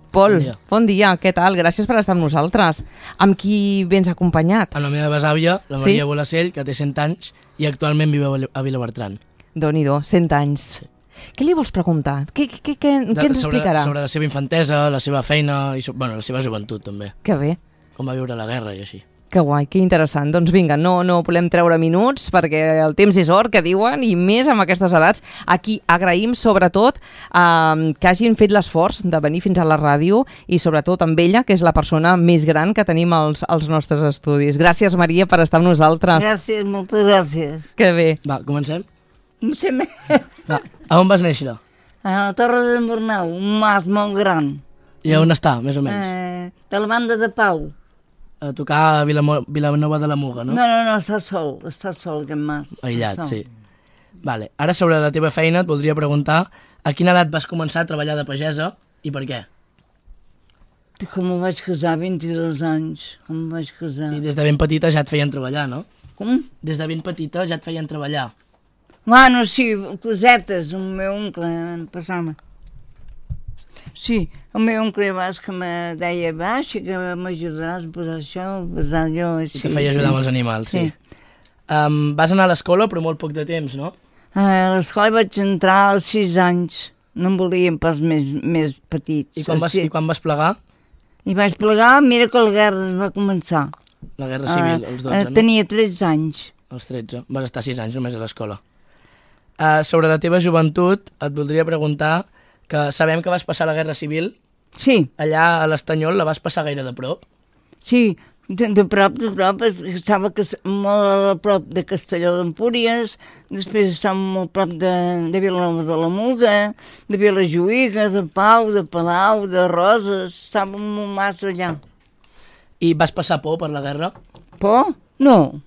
Pol, bon dia, què tal? Gràcies per estar amb nosaltres. Amb qui vens acompanyat? Amb la meva besàvia, la Maria Bolacell, que té 100 anys i actualment viu a Vilabertran. Déu-n'hi-do, 100 anys. Què li vols preguntar? Què ens explicarà? Sobre la seva infantesa, la seva feina i la seva joventut també. Que bé. Com va viure la guerra i així. Que guai, que interessant. Doncs vinga, no volem treure minuts perquè el temps és or, que diuen, i més amb aquestes edats. Aquí agraïm sobretot que hagin fet l'esforç de venir fins a la ràdio i sobretot amb ella, que és la persona més gran que tenim als nostres estudis. Gràcies, Maria, per estar amb nosaltres. Gràcies, moltes gràcies. Que bé. Va, comencem? Va, a on vas néixer? A la Torre de Bornau, un mas molt gran. I on està, més o menys? De la banda de Pau. A tocar a Vilanova de la Muga, no? No, està sol aquest mas. Aïllat, sí. Vale. Ara sobre la teva feina et voldria preguntar a quina edat vas començar a treballar de pagesa i per què? Com em vaig casar, 22 anys, com em vaig casar. I des de ben petita ja et feien treballar, no? Com? Des de ben petita ja et feien treballar. Bueno, sí, cosetes, el meu oncle em passava. Sí, el meu oncle Bas que me deia, va, sí que m'ajudaràs a posar això, a posar allò, així. I te feia ajudar amb els animals, sí. Vas anar a l'escola, però molt poc de temps, no? A l'escola vaig entrar als 6 anys, no em volien pas més petits. I quan vas plegar? I vaig plegar, mira que la guerra es va començar. La guerra civil, als 12, no? Tenia 13 anys. Als 13, vas estar 6 anys només a l'escola. Sobre la teva joventut, et voldria preguntar que sabem que vas passar la Guerra Civil. Sí. Allà a l'Estanyol la vas passar gaire de prop? Sí, de prop, estava molt a prop de Castelló d'Empúries, després estava molt a prop de Vilanova de la Muga, de Vilajuïga, de Pau, de Palau, de Roses, estàvem molt massa allà. I vas passar por per la guerra? Por? No,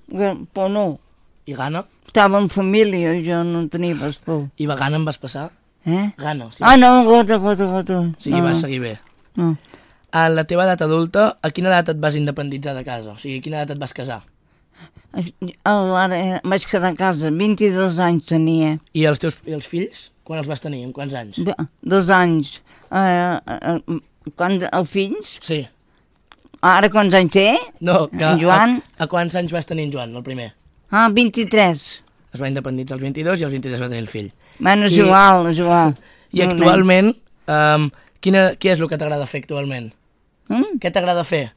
por no. I gana? Estava en família, jo no tenia pas por. I gana em vas passar? Gana, sí. No, gota. O sigui, vas seguir bé. No. A la teva edat adulta, a quina edat et vas independitzar de casa? O sigui, a quina edat et vas casar? Ara vaig quedar a casa, 22 anys tenia. I els fills, quan els vas tenir? En quants anys? 2 anys. Els fills? Sí. Ara quants anys té? No, en Joan? A quants anys vas tenir en Joan, el primer? 23. Es va independitzar als 22 i als 23 va tenir el fill. Bueno, és igual. I actualment, què és el que t'agrada fer actualment? Què t'agrada fer?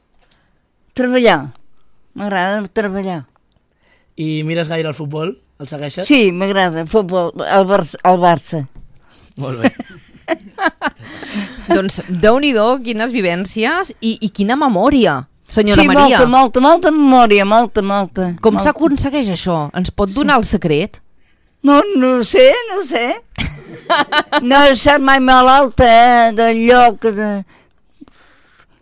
Treballar. M'agrada treballar. I mires gaire el futbol? El segueixes? Sí, m'agrada. Futbol, el Barça. Molt bé. Doncs Déu-n'hi-do, quines vivències i quina memòria, senyora Maria. Sí, molta memòria, molta. Com s'aconsegueix això? Ens pot donar el secret? No sé. No he estat mai malalta, del lloc.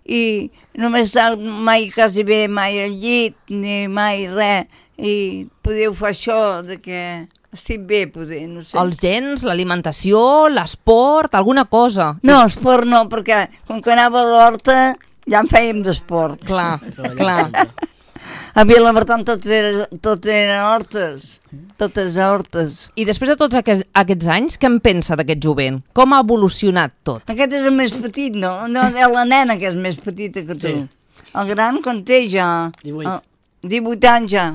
I només he estat mai quasi bé, mai al llit, ni mai res. I podeu fer això, de que estic bé, poder, no sé. Els gens, l'alimentació, l'esport, alguna cosa? No, esport no, perquè com que anava a l'horta ja en fèiem d'esport. Clar. A Vilabertran tot eren hortes, totes hortes. I després de tots aquests anys, què en pensa d'aquest jovent? Com ha evolucionat tot? Aquest és el més petit, no? No, la nena que és més petita que tu. Sí. El gran quan té ja 18 anys ja.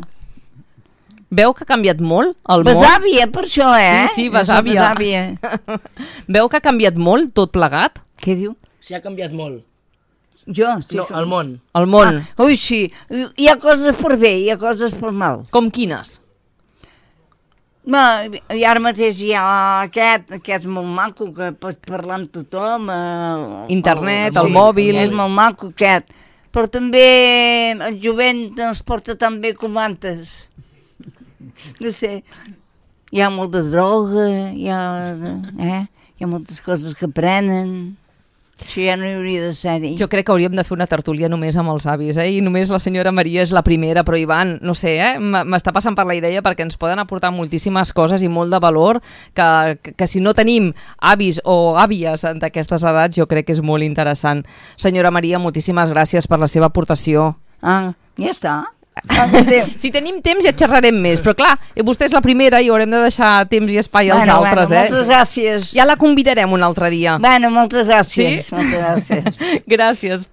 Veu que ha canviat molt el món? Besàvia, per això, Sí, besàvia. Veu que ha canviat molt tot plegat? Què diu? Sí, ha canviat molt. Jo? Sí, no, el món. El món. Ui, sí. Hi ha coses per bé, hi ha coses per mal. Com quines? I ara mateix hi ha aquest és molt maco, que pots parlar amb tothom. Internet, el mòbil. És molt maco aquest. Però també el jovent no es porta tan bé com antes. No sé, hi ha molta droga, hi ha moltes coses que prenen. Això ja no hi hauria de ser-hi. Jo crec que hauríem de fer una tertúlia només amb els avis, i només la senyora Maria és la primera, però Ivan, no sé, m'està passant per la idea perquè ens poden aportar moltíssimes coses i molt de valor que si no tenim avis o àvies d'aquestes edats jo crec que és molt interessant. Senyora Maria, moltíssimes gràcies per la seva aportació. Ja està. Si tenim temps ja xerrarem més, però clar, vostè és la primera i haurem de deixar temps i espai als altres, Moltes gràcies. Ja la convidarem un altre dia. Bueno, moltes gràcies. Sí? Moltes gràcies. Gràcies.